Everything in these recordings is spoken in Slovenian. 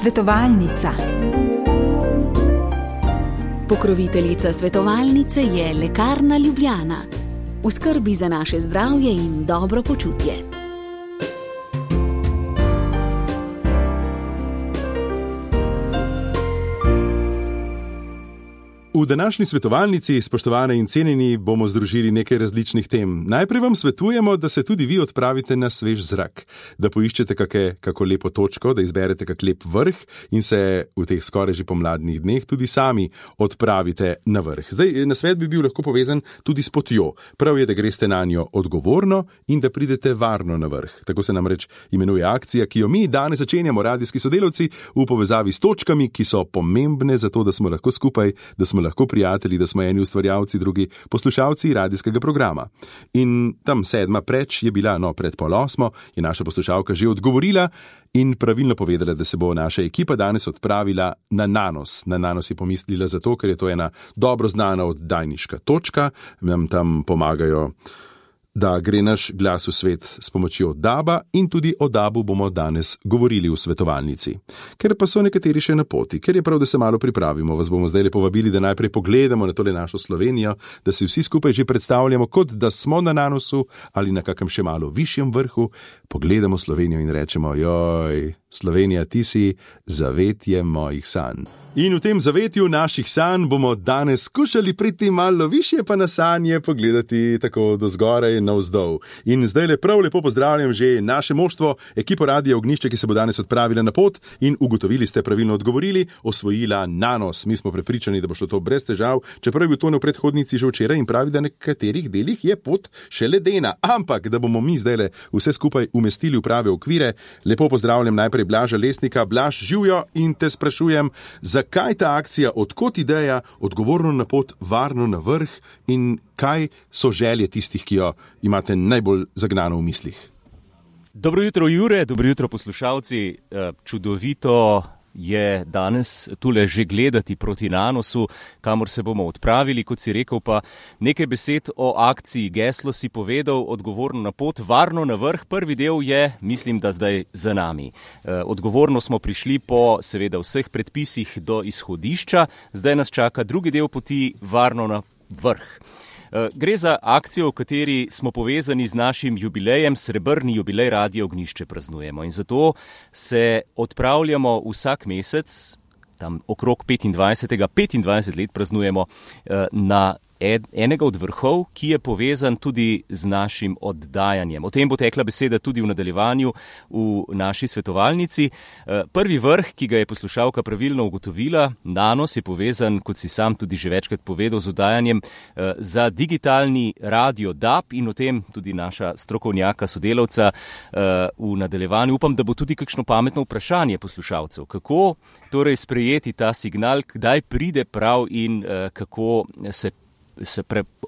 Svetovalnica. Pokroviteljica svetovalnice je Lekarna Ljubljana. V skrbi za naše zdravje in dobro počutje. V današnji svetovalnici, spoštovane in cenjeni, bomo združili nekaj različnih tem. Najprej vam svetujemo, da se tudi vi odpravite na svež zrak, da poiščete kako lepo točko, da izberete kak lep vrh in se v teh skoraj že pomladnih dneh tudi sami odpravite na vrh. Zdaj, nasvet bi bil lahko povezan tudi s potjo. Prav je, da greste na njo odgovorno in da pridete varno na vrh. Tako se namreč imenuje akcija, ki jo mi danes začenjamo, radijski sodelavci, v povezavi s točkami, ki so pomembne za to, da smo lahko skupaj, da smo lahko prijatelji, da smo eni ustvarjalci, drugi poslušalci radijskega programa. In tam 7. preč je bila, pred 7:30, je naša poslušalka že odgovorila in pravilno povedala, da se bo naša ekipa danes odpravila na Nanos. Na Nanos je pomislila zato, ker je to ena dobro znana oddajniška točka, nam tam pomagajo, da gre naš glas v svet s pomočjo DAB-a in tudi o DAB-u bomo danes govorili v svetovalnici. Ker pa so nekateri še na poti, ker je prav, da se malo pripravimo, vas bomo zdaj povabili, da najprej pogledamo na tole našo Slovenijo, da si vsi skupaj že predstavljamo, kot da smo na Nanosu ali na kakem še malo višjem vrhu, pogledamo Slovenijo in rečemo: joj, Slovenija, ti si zavetje mojih sanj. In v tem zavetju naših sanj bomo danes skušali priti malo višje, pa na sanje pogledati tako do zgoraj in navzdol. In zdaj prav lepo pozdravljam že naše moštvo, ekipo Radia Ognjišče, ki se bo danes odpravila na pot in ugotovili ste, pravilno odgovorili, osvojila Nanos. Mi smo prepričani, da bo šlo to brez težav, čeprav je bil to v predhodnici že včeraj in pravi, da na nekaterih delih je pot še ledena. Ampak, da bomo mi zdaj vse skupaj umestili v prave okvire, lepo pozdravljam najprej Blaža Lesnika. Blaž, živjo, in te sprašujem, kaj ta akcija, odkot ideja, odgovorno na pot, varno na vrh in kaj so želje tistih, ki jo imate najbolj zagnano v mislih? Dobro jutro, Jure, dobro jutro, poslušalci. Čudovito je danes tule že gledati proti Nanosu, kamor se bomo odpravili, kot si rekel, pa nekaj besed o akciji. Geslo si povedal, odgovorno na pot, varno na vrh. Prvi del je, mislim, da zdaj za nami. Odgovorno smo prišli po seveda vseh predpisih do izhodišča, zdaj nas čaka drugi del poti, varno na vrh. Gre za akcijo, v kateri smo povezani z našim jubilejem, srebrni jubilej Radia Ognjišče praznujemo. In zato se odpravljamo vsak mesec, tam okrog 25 let praznujemo, na enega od vrhov, ki je povezan tudi z našim oddajanjem. O tem bo tekla beseda tudi v nadaljevanju v naši svetovalnici. Prvi vrh, ki ga je poslušalka pravilno ugotovila, Nanos, je povezan, kot si sam tudi že večkrat povedal, z oddajanjem za digitalni radio DAB in o tem tudi naša strokovnjaka, sodelavca v nadaljevanju. Upam, da bo tudi kakšno pametno vprašanje poslušalcev. Kako torej sprejeti ta signal, kdaj pride prav in kako se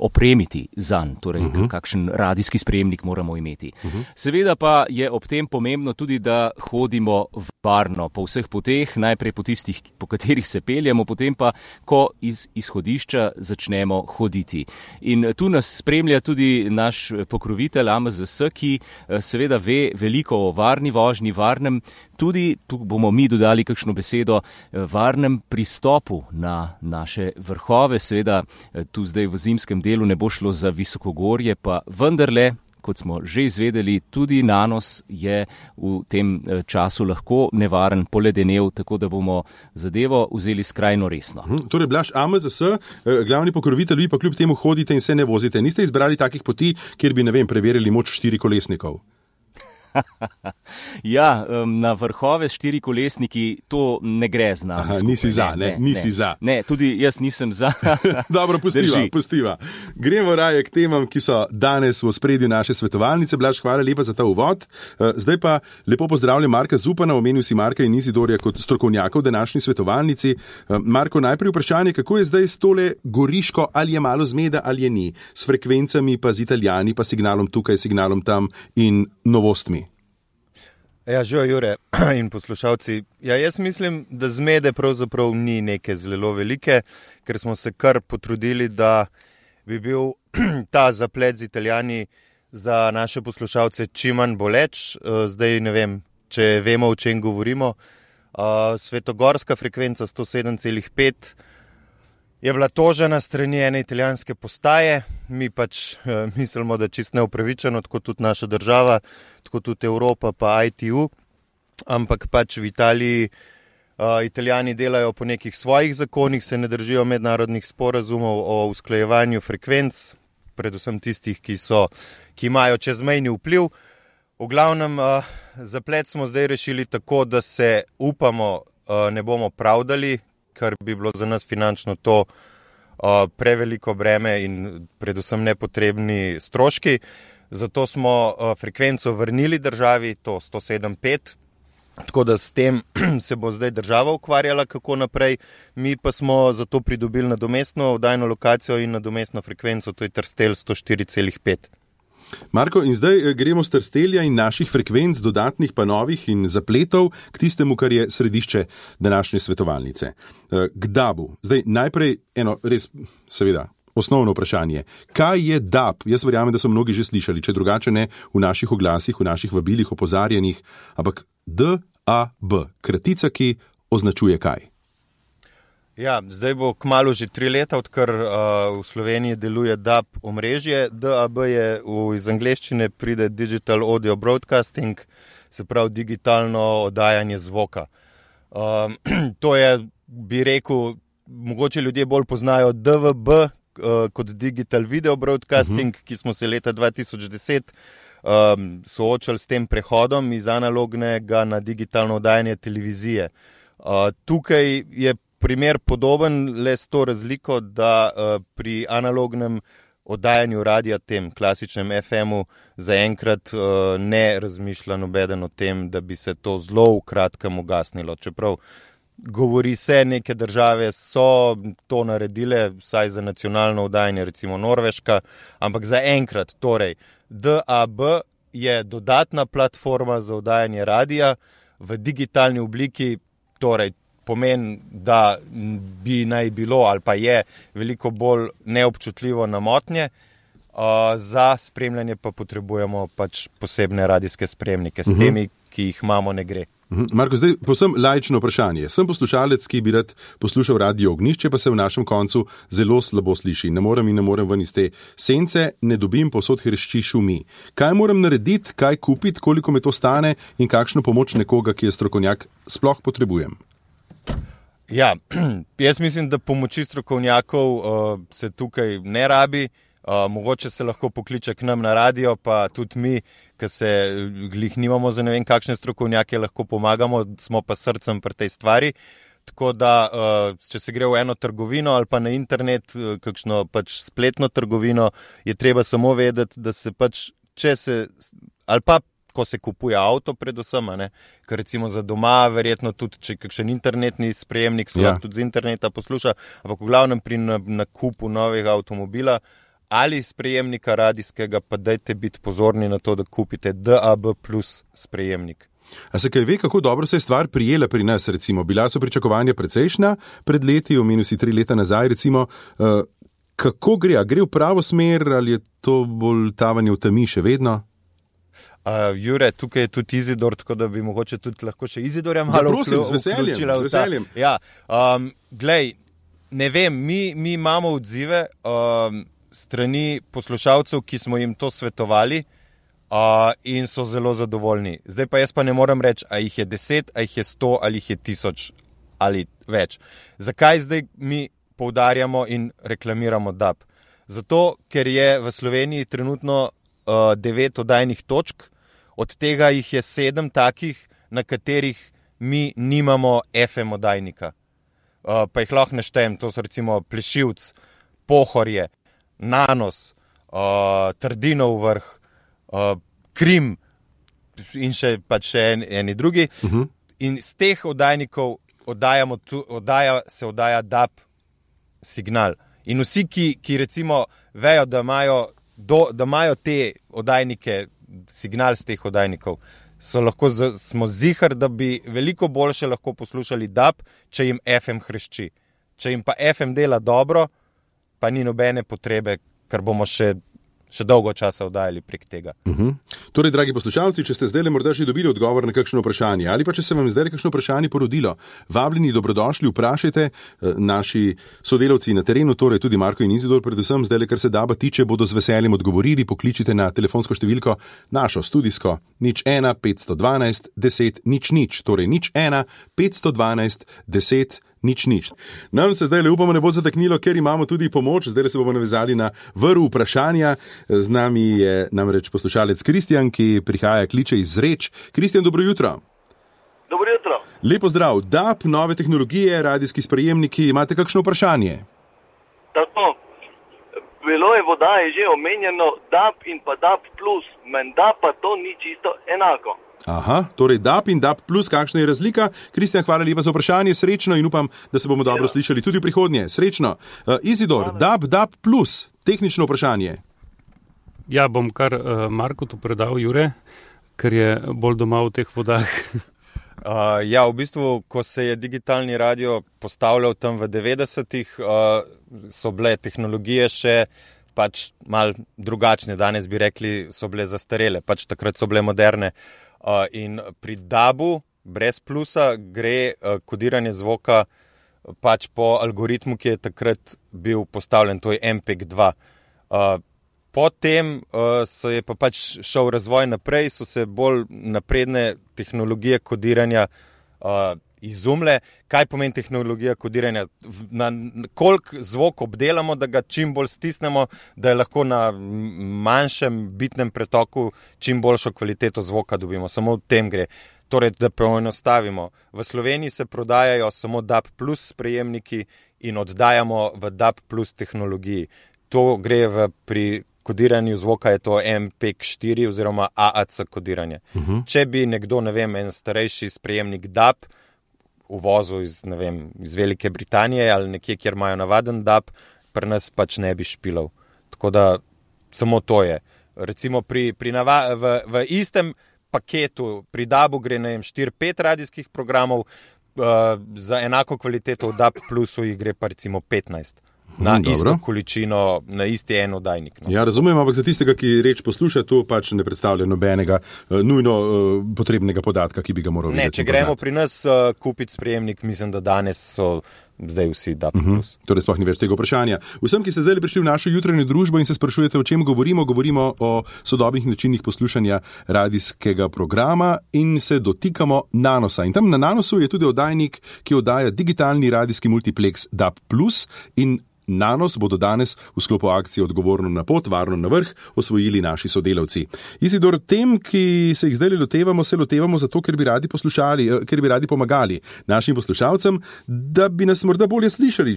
opremiti zanj, torej kakšen radijski sprejemnik moramo imeti. Seveda pa je ob tem pomembno tudi, da hodimo varno po vseh poteh, najprej po tistih, po katerih se peljemo, potem pa, ko iz izhodišča začnemo hoditi. In tu nas spremlja tudi naš pokrovitelj AMZS, ki seveda ve veliko o varni vožnji, varnem, tudi tu bomo mi dodali kakšno besedo, varnem pristopu na naše vrhove. Seveda tu zdaj v zimskem delu ne bo šlo za visokogorje, pa vendarle, kot smo že izvedeli, tudi Nanos je v tem času lahko nevaren, poledenev, tako da bomo zadevo vzeli skrajno resno. Torej, Blaž, AMZS, glavni pokrovitelj, vi pa kljub temu hodite in se ne vozite. Niste izbrali takih poti, kjer bi, preverili moč 4-kolesnikov? Ja, na vrhove s 4-kolesniki to ne gre z nami. Nisi za, nisi za. Ne, tudi jaz nisem za. Dobro, pustiva. Gremo raje k temam, ki so danes v ospredju naše svetovalnice. Blaž, hvala lepa za ta uvod. Zdaj pa lepo pozdravljam Marka Zupana, omenil si Marka in Izidorja kot strokovnjaka v današnji svetovalnici. Marko, najprej vprašanje, kako je zdaj s tole Goriško, ali je malo zmeda ali je ni, s frekvencami pa z Italijani, pa signalom tukaj, signalom tam in novostmi? Ja, živijo, Jure in poslušalci. Ja, jaz mislim, da zmede pravzaprav ni neke zelo velike, ker smo se kar potrudili, da bi bil ta zaplet z Italijani za naše poslušalce čim manj boleč. Zdaj ne vem, če vemo, o čem govorimo, Svetogorska frekvenca 107,5 je bila tožena strani ene italijanske postaje. Mi pač mislimo, da čist neupravičeno, tako tudi naša država, tako tudi Evropa pa ITU, ampak pač v Italiji Italijani delajo po nekih svojih zakonih, se ne držijo mednarodnih sporazumov o usklajevanju frekvenc, predvsem tistih, ki imajo čezmejni vpliv. V glavnem zaplet smo zdaj rešili tako, da se upamo ne bomo pravdali, ker bi bilo za nas finančno to preveliko breme in predvsem nepotrebni stroški. Zato smo frekvenco vrnili državi, to 107,5. Tako da s tem se bo zdaj država ukvarjala, kako naprej. Mi pa smo zato pridobili nadomestno oddajno lokacijo in nadomestno frekvenco, to je Trstelj 104,5. Marko, in zdaj gremo z Trstelja in naših frekvenc, dodatnih pa novih in zapletov k tistemu, kar je središče današnje svetovalnice. K DAB-u. Zdaj najprej eno res, seveda, osnovno vprašanje. Kaj je DAB? Jaz verjamem, da so mnogi že slišali, če drugače ne v naših oglasih, v naših vabilih, opozarjanjih, ampak DAB, kratica, ki označuje kaj? Ja, zdaj bo kmalu že 3 leta, odkar v Sloveniji deluje DAB omrežje. DAB je iz angleščine pride Digital Audio Broadcasting, se pravi digitalno oddajanje zvoka. To je, bi rekel, mogoče ljudje bolj poznajo DVB kot Digital Video Broadcasting, ki smo se leta 2010 soočali s tem prehodom iz analognega na digitalno oddajanje televizije. Tukaj je primer podoben, le s to razliko, da pri analognem oddajanju radia, tem klasičnem FM-u, zaenkrat ne razmišlja nobeden o tem, da bi se to zelo v kratkem ugasnilo. Čeprav govori se, neke države so to naredile, vsaj za nacionalno oddajanje, recimo Norveška, ampak zaenkrat, torej, DAB je dodatna platforma za oddajanje radia v digitalni obliki, torej pomeni, da bi naj bilo ali pa je veliko bolj neobčutljivo na motnje, za spremljanje pa potrebujemo pač posebne radijske spremnike. S temi, ki jih imamo, ne gre. Marko, zdaj povsem laično vprašanje. Sem poslušalec, ki bi rad poslušal Radio Ognjišče, pa se v našem koncu zelo slabo sliši. Ne morem ven iz te sence, ne dobim, povsod hrešči, šumi. Kaj moram narediti, kaj kupiti, koliko me to stane in kakšno pomoč nekoga, ki je strokovnjak, sploh potrebujem? Ja, jaz mislim, da pomoči strokovnjakov se tukaj ne rabi. Mogoče se lahko pokliče k nam na radio, pa tudi mi, ki se glih nimamo za ne vem kakšne strokovnjake, lahko pomagamo, smo pa srcem pri tej stvari. Tako da, če se gre v eno trgovino ali pa na internet, kakšno pač spletno trgovino, je treba samo vedeti, da se pač, ali pa ko se kupuje avto predvsem, ker recimo za doma, verjetno tudi, če kakšen internetni sprejemnik se lahko tudi z interneta posluša, ampak v glavnem pri nakupu novega avtomobila ali sprejemnika radijskega, pa dajte biti pozorni na to, da kupite DAB plus sprejemnik. A se kaj ve, kako dobro se je stvar prijela pri nas, recimo? Bila so pričakovanja precejšnja pred leti, omenil si 3 leta nazaj, recimo. Kako gre? A gre v pravo smer ali je to bolj tavanje v temi še vedno? Jure, tukaj je tudi Izidor, tako da bi mogoče tudi lahko še Izidorja malo vključila. Z veseljem. Ja, glej, ne vem, mi imamo odzive strani poslušalcev, ki smo jim to svetovali in so zelo zadovoljni. Zdaj pa jaz pa ne morem reči, a jih je 10, a jih je 100, ali jih je 1000 ali več. Zakaj zdaj mi poudarjamo in reklamiramo DAB? Zato, ker je v Sloveniji trenutno 9 oddajnih točk, od tega jih je 7 takih, na katerih mi nimamo FM oddajnika. Pa jih lahko naštejem, to so recimo Plešivc, Pohorje, Nanos, Trdinov vrh, Krim in še eni drugi. In z teh oddajnikov se oddaja DAB signal. In vsi, ki recimo vejo, da imajo te oddajnike, signal z teh oddajnikov, smo zihar, da bi veliko boljše lahko poslušali DAB, če jim FM hrešči. Če jim pa FM dela dobro, pa ni nobene potrebe, ker bomo še še dolgo časa oddajali prek tega. Torej, dragi poslušalci, če ste zdaj morda že dobili odgovor na kakšno vprašanje ali pa če se vam zdaj kakšno vprašanje porodilo, vabljeni, dobrodošli, vprašajte. Naši sodelavci na terenu, torej tudi Marko in Izidor, predvsem zdaj, kar se DAB-a tiče, bodo z veseljem odgovorili. Pokličite na telefonsko številko našo studijsko 01 512 10 00, torej 01 512 10 00. Nam se zdaj upamo ne bo zataknilo, ker imamo tudi pomoč. Zdaj se bomo navezali na vrv vprašanja. Z nami je namreč poslušalec Kristjan, ki prihaja, kliče iz Zreč. Kristjan, dobro jutro. Dobro jutro. Lepo zdrav. DAB, nove tehnologije, radijski sprejemniki, imate kakšno vprašanje? Tako, bilo je voda, je že omenjeno DAB in pa DAB+, menda pa to ni čisto enako. Aha, torej DAB in DAB+, kakšna je razlika? Kristjan, hvala lepa za vprašanje, srečno in upam, da se bomo dobro slišali tudi v prihodnje. Srečno. Izidor, DAB+, tehnično vprašanje. Ja, bom kar Marku to predal, Jure, ker je bolj doma v teh vodah. Ja, v bistvu, ko se je digitalni radio postavljal tam v 90-ih, so bile tehnologije še pač mal drugačne. Danes bi rekli, so bile zastarele, pač takrat so bile moderne. In pri DAB-u brez plusa gre kodiranje zvoka pač po algoritmu, ki je takrat bil postavljen, to je MPEG-2. Potem je pa pač šel razvoj naprej, so se bolj napredne tehnologije kodiranja izumle. Kaj pomeni tehnologija kodiranja? Koliko zvok obdelamo, da ga čim bolj stisnemo, da je lahko na manjšem bitnem pretoku čim boljšo kvaliteto zvoka dobimo. Samo v tem gre. Torej, da poenostavimo. V Sloveniji se prodajajo samo DAB+ sprejemniki in oddajamo v DAB+ tehnologiji. To gre pri kodiranju zvoka, je to MPEG-4 oziroma AAC kodiranje. Če bi nekdo, ne vem, en starejši sprejemnik DAB uvozil iz Velike Britanije ali nekje, kjer imajo navaden DAB, pri nas pač ne bi špilal. Tako da samo to je. Recimo v istem paketu pri DAB-u gre 4-5 radijskih programov, za enako kvaliteto v DAB+ jih gre pa recimo 15. Na isto količino, na isti en oddajnik. Ja, razumem, ampak za tistega, ki reč posluša, to pač ne predstavlja nobenega nujno potrebnega podatka, ki bi ga moral videti. Ne, če gremo pri nas kupiti sprejemnik, mislim, da danes so zdaj vsi DAB+. Torej sploh ni več tega vprašanja. Vsem, ki ste zdaj prišli v našo jutranjo družbo in se sprašujete, o čem govorimo o sodobnih načinih poslušanja radijskega programa in se dotikamo Nanosa. In tam na Nanosu je tudi oddajnik, ki oddaja digitalni radijski multiplex DAB+, in Nanos bodo danes v sklopu akcije Odgovorno na pot, varno na vrh osvojili naši sodelavci. Izidor, tem, ki se jih zdaj lotevamo, se lotevamo zato, ker bi radi poslušali, ker bi radi pomagali našim poslušalcem, da bi nas morda bolje slišali,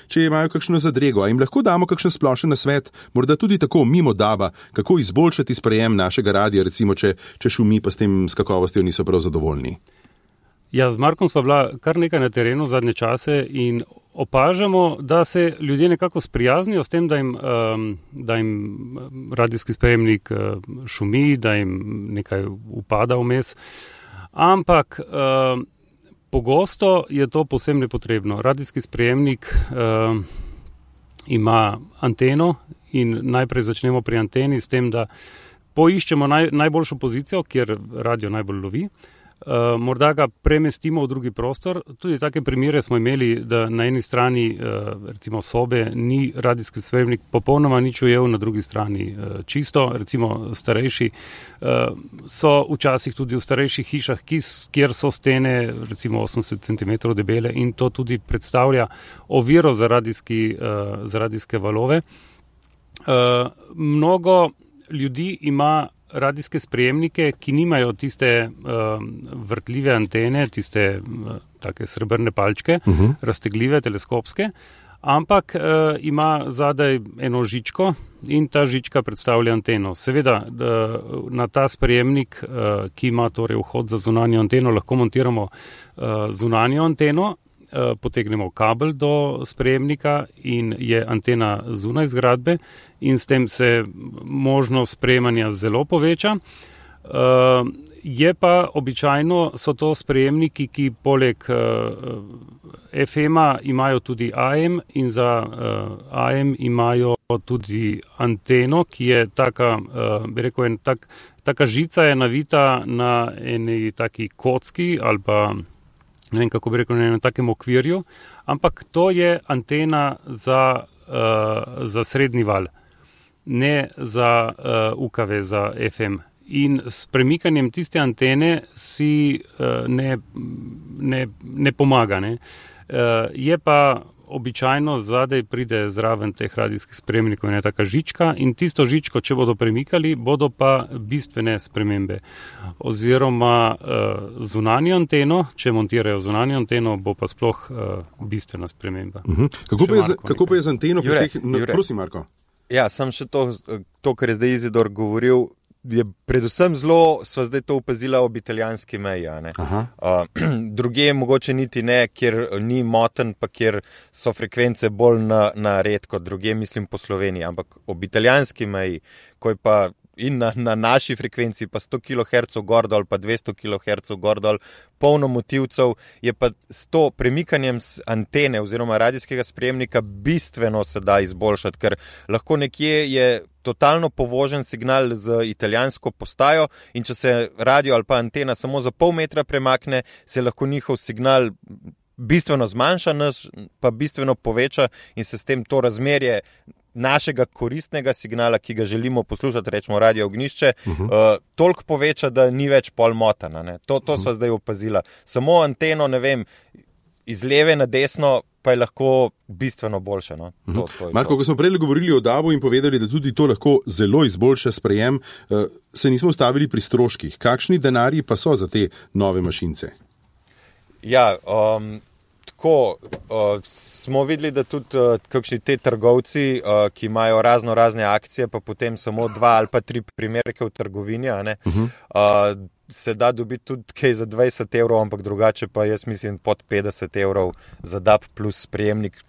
če imajo kakšno zadrego. A jim lahko damo kakšen splošen nasvet, morda tudi tako mimo DAB-a, kako izboljšati sprejem našega radia, recimo, če šumi pa s tem s kakovostjo niso prav zadovoljni. Ja, z Markom sva bila kar nekaj na terenu zadnje čase in opažamo, da se ljudje nekako sprijaznijo s tem, da jim radijski sprejemnik šumi, da jim nekaj upada vmes. Ampak pogosto je to povsem nepotrebno. Radijski sprejemnik ima anteno in najprej začnemo pri anteni s tem, da poiščemo najboljšo pozicijo, kjer radio najbolj lovi. Morda ga premestimo v drugi prostor. Tudi take primere smo imeli, da na eni strani recimo sobe ni radijski sprejemnik popolnoma nič ujel, na drugi strani čisto. Recimo starejši so včasih tudi v starejših hišah, kjer so stene recimo 80 cm debele in to tudi predstavlja oviro za radijske valove. Mnogo ljudi ima radijske sprejemnike, ki nimajo tiste vrtljive antene, tiste take srebrne palčke, raztegljive, teleskopske, ampak ima zadaj eno žičko in ta žička predstavlja anteno. Seveda, na ta sprejemnik, ki ima torej vhod za zunanjo anteno, lahko montiramo zunanjo anteno, potegnemo kabel do sprejemnika in je antena zunaj zgradbe in s tem se možnost sprejemanja zelo poveča. Je pa običajno so to sprejemniki, ki poleg FM-a imajo tudi AM in za AM imajo tudi anteno, ki je taka, bi rekel, taka žica je navita na eni taki kocki ali pa ne vem, kako bi rekel, na enem takem okvirju, ampak to je antena za srednji val, ne za UKV, za FM. In s premikanjem tiste antene si ne pomaga. Ne. Je pa običajno zadaj pride zraven teh radijskih spremnikov ena taka žička in tisto žičko, če bodo premikali, bodo pa bistvene spremembe. Oziroma zunanjo anteno, če montirajo zunanjo anteno, bo pa sploh bistvena sprememba. Kako pa je z anteno? Prosim, Marko. Ja, sam še to, kar je zdaj Izidor govoril, je predvsem sva zdaj to opazila ob italijanski meji. Druge mogoče niti ne, kjer ni moten, pa kjer so frekvence bolj na red kot druge, mislim po Sloveniji, ampak ob italijanski meji, ko je pa in na naši frekvenci pa 100 kHz gor dol, pa 200 kHz gor dol, polno motivcev, je pa s to premikanjem antene oziroma radijskega sprejemnika bistveno se da izboljšati, ker lahko nekje je totalno povožen signal z italijansko postajo in če se radio ali pa antena samo za pol metra premakne, se lahko njihov signal bistveno zmanjša, nas pa bistveno poveča in se s tem to razmerje našega koristnega signala, ki ga želimo poslušati, rečemo Radio Ognjišče, toliko poveča, da ni več pol motana. To sva zdaj opazila. Samo anteno, ne vem, iz leve na desno pa je lahko bistveno boljše. No? Marko, ko smo prej govorili o DAB-u in povedali, da tudi to lahko zelo izboljša sprejem, se nismo ustavili pri stroških. Kakšni denarji pa so za te nove mašince? Ja, tako, smo videli, da tudi kakšni te trgovci, ki imajo razne akcije, pa potem samo 2 ali pa 3 primerke v trgovini, se da dobiti tudi kaj za 20 evrov, ampak drugače pa jaz mislim pod 50 evrov za DAB plus sprejemnik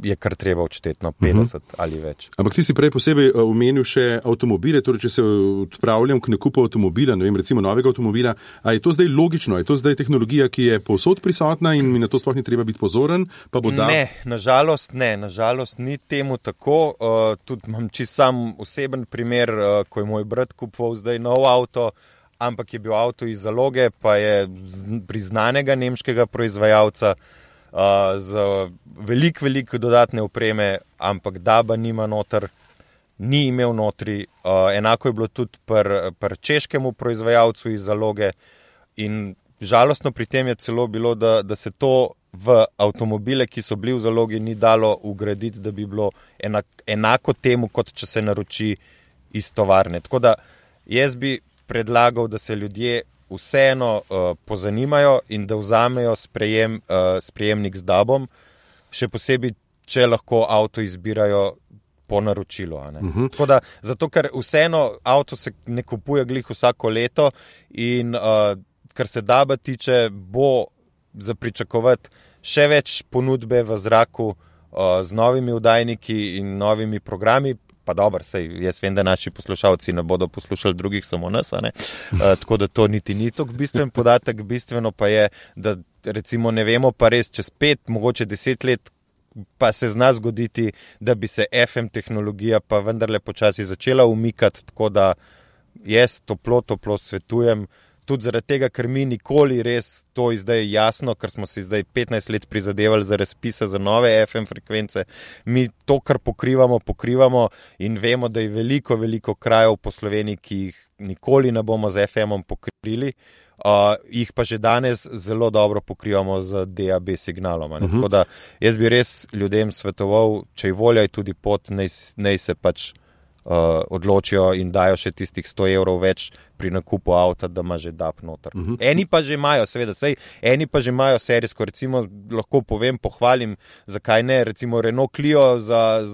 je kar treba odšteti, 50 ali več. Ampak ti si prej posebej omenil še avtomobile, torej če se odpravljam k nakupu avtomobila, ne vem, recimo novega avtomobila, a je to zdaj logično, je to zdaj tehnologija, ki je povsod prisotna in mi na to sploh ni treba biti pozoren? Pa bo ne, nažalost ni temu tako. Tudi imam čisto sam oseben primer, ko je moj brat kupoval zdaj nov avto, ampak je bil avto iz zaloge, pa je priznanega nemškega proizvajalca, z veliko dodatne opreme, ampak DAB-a nima noter, ni imel notri. Enako je bilo tudi pri češkemu proizvajalcu iz zaloge in žalostno pri tem je celo bilo, da se to v avtomobile, ki so bili v zalogi, ni dalo ugraditi, da bi bilo enako temu, kot če se naroči iz tovarne. Tako da jaz bi predlagal, da se ljudje vseeno pozanimajo in da vzamejo sprejemnik z DAB-om, še posebej, če lahko avto izbirajo po naročilu. Tako da, zato, ker vseeno avto se ne kupuje glih vsako leto in kar se DAB-a tiče, bo za pričakovati še več ponudbe v zraku z novimi oddajniki in novimi programi. Pa dobro, jaz vem, da naši poslušalci ne bodo poslušali drugih, samo nas, tako da to niti ni tako bistven podatek. Bistveno pa je, da recimo ne vemo pa res čez 5, mogoče 10 let pa se zna zgoditi, da bi se FM tehnologija pa vendarle počasi začela umikati, tako da jaz toplo svetujem, tudi zaradi tega, ker mi nikoli res to zdaj jasno, ker smo si zdaj 15 let prizadevali za razpise za nove FM frekvence, mi to, kar pokrivamo in vemo, da je veliko krajev po Sloveniji, ki jih nikoli ne bomo z FM-om pokrili, jih pa že danes zelo dobro pokrivamo z DAB signalom. Tako da jaz bi res ljudem svetoval, če je volja, je tudi pot, naj se pač odločijo in dajo še tistih 100 evrov več pri nakupu avta, da ima že DAB noter. Eni pa že imajo, seveda, eni pa že imajo serijsko, recimo lahko povem, pohvalim, zakaj ne, recimo Renault Clio za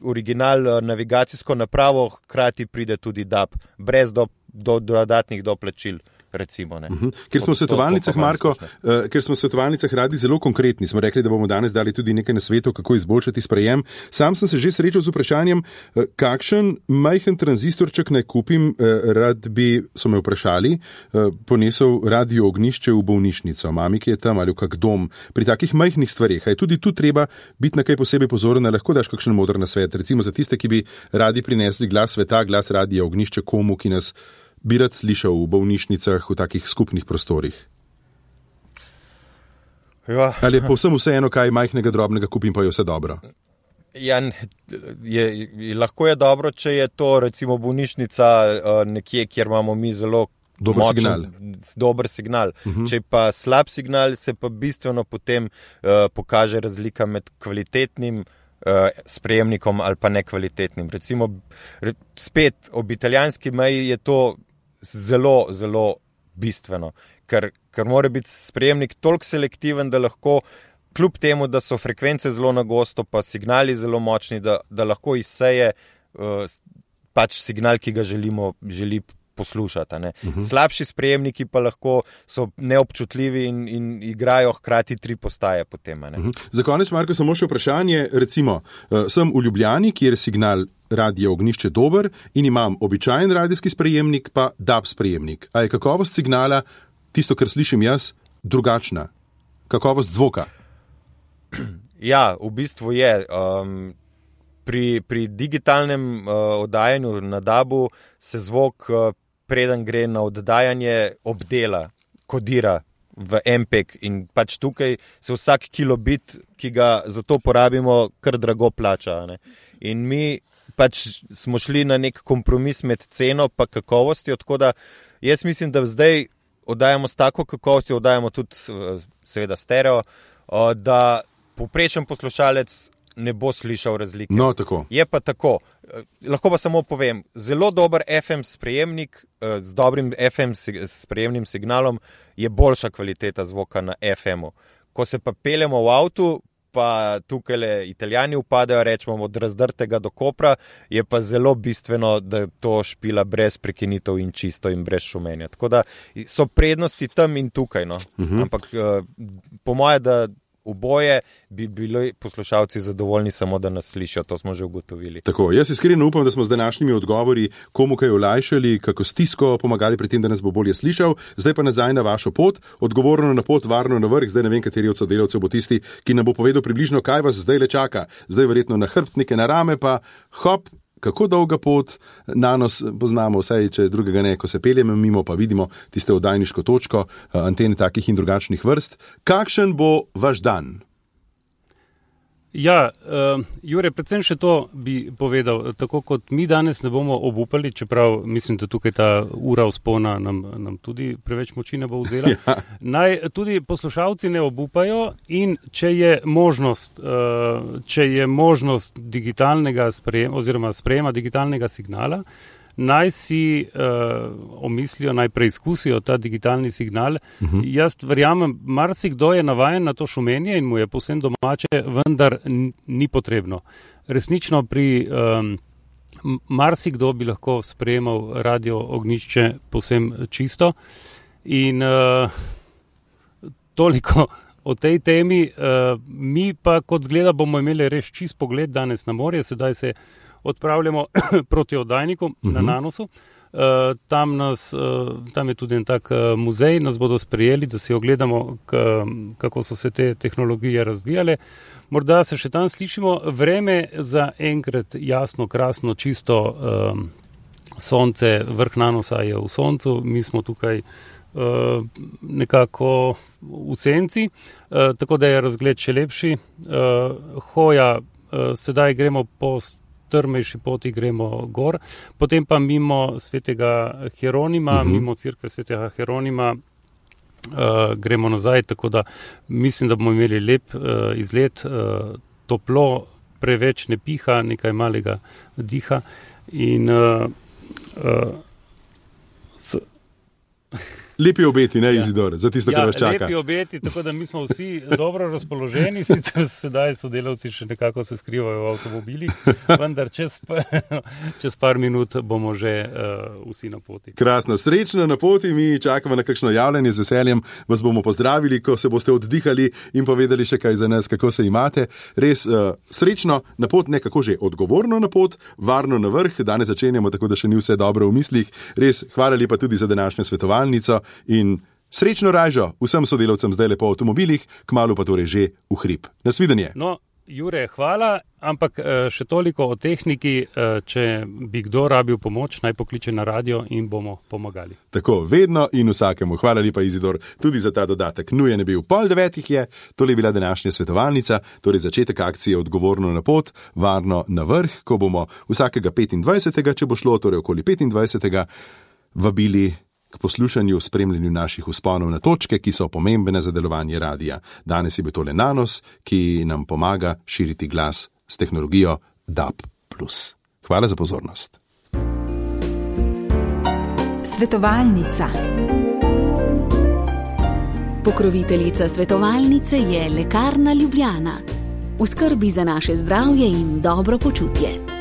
original navigacijsko napravo, hkrati pride tudi DAB, brez dodatnih doplačil. recimo. Ne. Ker smo v svetovalnicah, Marko, ker smo v svetovalnicah radi zelo konkretni, smo rekli, da bomo danes dali tudi nekaj nasvetov, kako izboljšati sprejem. Sam sem se že srečal z vprašanjem, kakšen majhen tranzistorček naj kupim, rad bi, so me vprašali, ponesel radio ognjišče v bolnišnico, mami, ki je tam, ali v kak dom. Pri takih majhnih stvareh je tudi tu treba biti na kaj posebej pozoren, lahko daš kakšen moder nasvet, recimo za tiste, ki bi radi prinesli glas sveta, glas radia ognjišče komu, ki nas bi rad slišal v bolnišnicah, v takih skupnih prostorih? Ja. Ali je povsem vseeno, kaj majhnega drobnega kupim, pa je vse dobro? Ja, lahko je dobro, če je to recimo bolnišnica nekje, kjer imamo mi zelo dober signal. Če pa slab signal, se pa bistveno potem pokaže razlika med kvalitetnim sprejemnikom ali pa nekvalitetnim. Recimo, spet ob italijanski meji je to zelo, zelo bistveno, ker mora biti sprejemnik toliko selektiven, da lahko, kljub temu, da so frekvence zelo na gosto, pa signali zelo močni, da lahko izseje pač signal, ki ga želi poslušati. Ne. Slabši sprejemniki pa lahko so neobčutljivi in igrajo hkrati 3 postaje potem. Ne. Za konec, Marko, samo še vprašanje. Recimo, sem v Ljubljani, kjer je signal radio ognjišče dober in imam običajen radijski sprejemnik, pa DAB sprejemnik. A je kakovost signala, tisto, kar slišim jaz, drugačna? Kakovost zvoka? Ja, v bistvu je. Pri digitalnem oddajanju na DAB-u se zvok, preden gre na oddajanje, obdela, kodira v MPEG in pač tukaj se vsak kilobit, ki ga za to porabimo, kar drago plača. Ne. In mi pač smo šli na nek kompromis med ceno pa kakovostjo, tako da jaz mislim, da zdaj oddajamo s tako kakovostjo, oddajamo tudi seveda stereo, da povprečen poslušalec ne bo slišal razlike. No, tako. Je pa tako. Lahko pa samo povem, zelo dober FM sprejemnik z dobrim FM sprejemnim signalom je boljša kvaliteta zvoka na FM-u. Ko se pa peljemo v avtu, pa tukaj Italijani upadajo, rečemo od Razdrtega do Kopra, je pa zelo bistveno, da to špila brez prekinitev in čisto in brez šumenja. Tako da so prednosti tam in tukaj. No. Ampak po moje, da oboje bi bili poslušalci zadovoljni samo, da nas slišijo, to smo že ugotovili. Tako, jaz iskreno upam, da smo z današnjimi odgovori komu kaj olajšali, kako stisko pomagali pri tem, da nas bo bolje slišal. Zdaj pa nazaj na vašo pot, odgovorno na pot, varno na vrh. Zdaj ne vem, kateri od sodelavcev bo tisti, ki nam bo povedal približno, kaj vas zdaj le čaka. Zdaj verjetno na hrbtnike, na rame, pa hop, kako dolga pot, na nos poznamo vsaj, če drugega ne, ko se peljemo mimo, pa vidimo tiste oddajniško točko, antene takih in drugačnih vrst. Kakšen bo vaš dan? Ja, Jure, predvsem še to bi povedal, tako kot mi danes ne bomo obupali, čeprav mislim, da tukaj ta ura vzpona nam tudi preveč moči ne bo vzela. Ja. Naj tudi poslušalci ne obupajo in če je možnost digitalnega sprejema digitalnega signala, naj si omislijo, naj preizkusijo ta digitalni signal. Jaz verjamem, marsikdo je navajen na to šumenje in mu je povsem domače, vendar ni potrebno. Resnično pri marsikdo bi lahko sprejemal radio ognjišče povsem čisto in toliko o tej temi. Mi pa kot zgleda bomo imeli res čist pogled danes na morje, sedaj se odpravljamo proti oddajniku na Nanosu. Tam je tudi en tak muzej, nas bodo sprejeli, da si ogledamo, kako so se te tehnologije razvijale. Morda se še tam slišimo. Vreme za enkrat jasno, krasno, čisto sonce, vrh Nanosa je v soncu, mi smo tukaj nekako v senci, tako da je razgled še lepši. Hoja, sedaj gremo po strmejši poti, gremo gor, potem pa mimo svetega Hieronima, mimo cerkve svetega Hieronima gremo nazaj, tako da mislim, da bomo imeli lep izlet, toplo, preveč ne piha, nekaj malega diha in Lepi obeti, ne, Izidor, za tisto, kar vas čaka. Lepi obeti, tako da mi smo vsi dobro razpoloženi, sicer sedaj sodelavci še nekako se skrivajo v avtomobilih, vendar čez par minut bomo že vsi na poti. Krasno, srečno na poti, mi čakamo na kakšno javljanje, z veseljem vas bomo pozdravili, ko se boste oddihali in povedali še kaj za nas, kako se imate. Res srečno na pot, nekako že odgovorno na pot, varno na vrh, danes začenjamo, tako da še ni vse dobro v mislih. Res, hvala lepa tudi za današnjo svetovalnico in srečno ražo vsem sodelavcem zdaj lepo v avtomobilih, kmalu pa torej že v hrib. Nasvidenje. No, Jure, hvala, ampak še toliko o tehniki, če bi kdo rabil pomoč, naj pokliče na radio in bomo pomagali. Tako, vedno in vsakemu. Hvala lepa, Izidor, tudi za ta dodatek. Nujen je bil 8:30 je, tole je bila današnja svetovalnica, torej začetek akcije odgovorno na pot, varno na vrh, ko bomo vsakega 25., če bo šlo, torej okoli 25., vabili k poslušanju, spremljanju naših vzponov na točke, ki so pomembne za delovanje radia. Danes je bil tole Nanos, ki nam pomaga širiti glas s tehnologijo DAB+. Hvala za pozornost. Svetovalnica. Pokroviteljica svetovalnice je Lekarna Ljubljana. V skrbi za naše zdravje in dobro počutje.